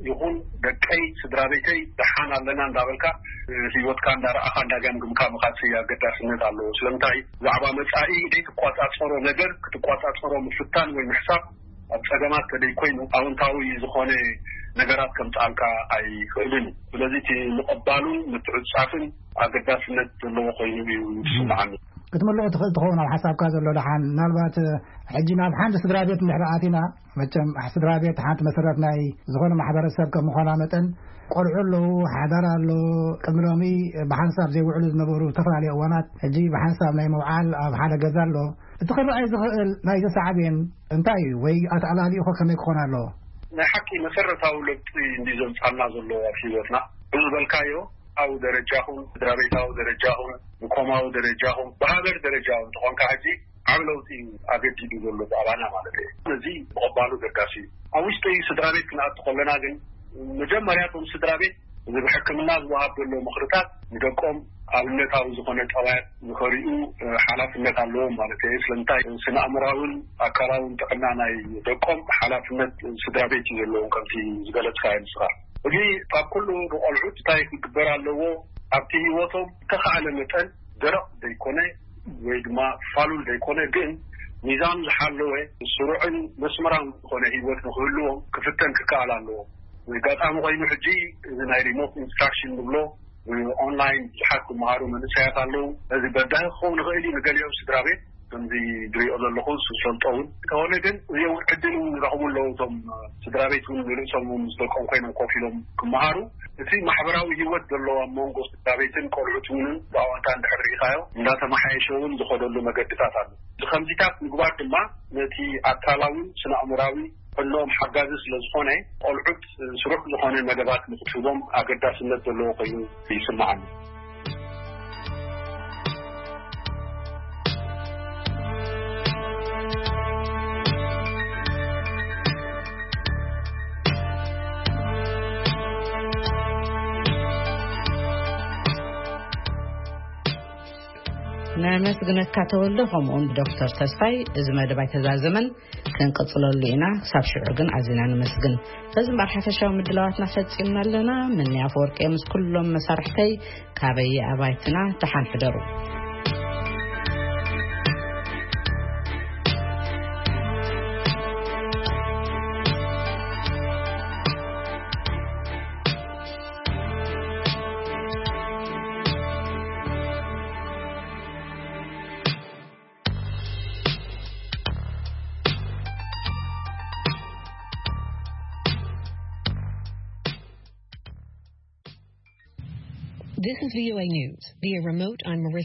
ይኹን ደቀይ ስድራ ቤተይ ደሓን ኣለና እንዳበልካ ህይወትካ እንዳረኣኻ እንዳገምግምካ ምኻድሲ ኣገዳስነት ኣለዎ። ስለምንታይ ብዛዕባ መጻኢ ዘይትቋጻጸሮ ነገር ክትቋጻጸሮ ምፍታን ወይ ምሕሳብ ኣብ ጸገማት ከደይ ኮይኑ ኣውንታዊ ዝኾነ ነገራት ከምጽኣልካ ኣይኽእልን እዩ። ስለዚ እቲ ምቕባሉን ምትዕጻፍን ኣገዳስነት ዘለዎ ኮይኑ እዩ ዝስምዓኒ። ክትምልኦ ትኽእል ትኸውን ኣብ ሓሳብካ ዘሎ ደሓን። ምናልባት ሕጂ ናብ ሓንቲ ስድራ ቤት እንድሕር ኣቲና፣ መቸም ስድራ ቤት ሓንቲ መሰረት ናይ ዝኾነ ማሕበረሰብ ከም ምዃና መጠን ቆልዑ ኣለዉ፣ ሓዳር ኣሎ። ቅድሚ ሎሚ ብሓንሳብ ዘይውዕሉ ዝነበሩ ዝተፈላለዩ እዋናት ሕጂ ብሓንሳብ ናይ ምውዓል ኣብ ሓደ ገዛ ኣሎ። እቲ ክረኣይ ዝኽእል ናይዚ ሳዕቤን እንታይ እዩ? ወይ ኣተኣላልዩኸ ከመይ ክኾን ኣለዎ? ናይ ሓቂ መሰረታዊ ለውጢ እንዲ ዘምጻና ዘሎ ኣብ ህይወትና። ብዝበልካዮ ኣብ ደረጃኹም፣ ስድራ ቤታዊ ደረጃኹም፣ ብኮማዊ ደረጃኹም፣ ብሃገር ደረጃ እውን ተኾንካ ሕጂ ዓብ ለውጢ እዩ ኣገዲዱ ዘሎ ብኣባና ማለት እዩ። እዚ ምቕባሉ ገዳሲ እዩ። ኣብ ውሽጢ ስድራ ቤት ክንኣቱ ከለና ግን መጀመርያ እቶም ስድራ ቤት እዚ ብሕክምና ዝወሃብ ዘሎ ምኽርታት ንደቆም ኣብነታዊ ዝኾነ ጠባያት ንኸሪኡ፣ እ፣ ሓላፍነት ኣለዎም ማለት እዩ። ስለምንታይ ስነ ኣእምራውን ኣካላውን ጥዕና ናይ ደቆም ሓላፍነት ስድራ ቤት እዩ ዘለዎም ከምቲ ዝገለጽካዮ ንስኻ። እዚ ካብ ኩሉ ንቆልዑት እንታይ ክግበር ኣለዎ? ኣብቲ ህይወቶም ዝተኻእለ መጠን ደረቕ ዘይኮነ ወይ ድማ ፋሉል ዘይኮነ ግን ሚዛኑ ዝሓለወ ስሩዕን መስመራዊ ዝኾነ ህይወት ንክህልዎም ክፍተን ክከኣል ኣለዎ። ኣጋጣሚ ኮይኑ ሕጂ እዚ ናይ ሪሞት ኢንስትራክሽን ንብሎ ኦንላይን ብዙሓት ክመሃሩ መንእሰያት ኣለዉ። እዚ በዳሂ ክኸውን ይኽእል እዩ ንገሊኦም ስድራ ቤት ከምዚ ዝሪኦ ዘለኹ ዝፈልጦ እውን እንተኾነ ግን እዚ እውን ዕድል እውን ይረኽቡ ኣለዉ። እቶም ስድራ ቤት እውን ንርእሶም እውን ምስ ደቆም ኮይኖም ኮፍ ኢሎም ክመሃሩ እቲ ማሕበራዊ ህይወት ዘለዎ ኣብ መንጎ ስድራ ቤትን ቆልዑት እውን ብኣወንታ እንድሕር ካዮ እንዳተመሓየሸ እውን ዝኸደሉ መገድታት ኣሎ። ብኸምዚታት ምግባር ድማ ነቲ ኣካላዊ ስነ ኣእምራዊ ሕሎም ሓጋዚ ስለ ዝኾነ፣ ቆልዑት ስሩዕ ዝኾነ መደባት ንክትህቦም ኣገዳስነት ዘለዎ ኮይኑ ይስምዓኒ። ነመስግነካ ተወልደ፣ ከምኡውን ብዶክተር ተስፋይ። እዚ መደብ ኣይተዛዘመን፣ ክንቅጽለሉ ኢና። ክሳብ ሽዑ ግን ኣዚና ንመስግን። በዚ እምበኣር ሓፈሻዊ ምድላዋትና ፈጺምና ኣለና። ምንያ ኣፈወርቂ ምስ ኩሎም መሳርሕተይ ካበይ ኣባይትና ተሓንሕደሩ። This is V O A News. Via remote, I'm Marissa.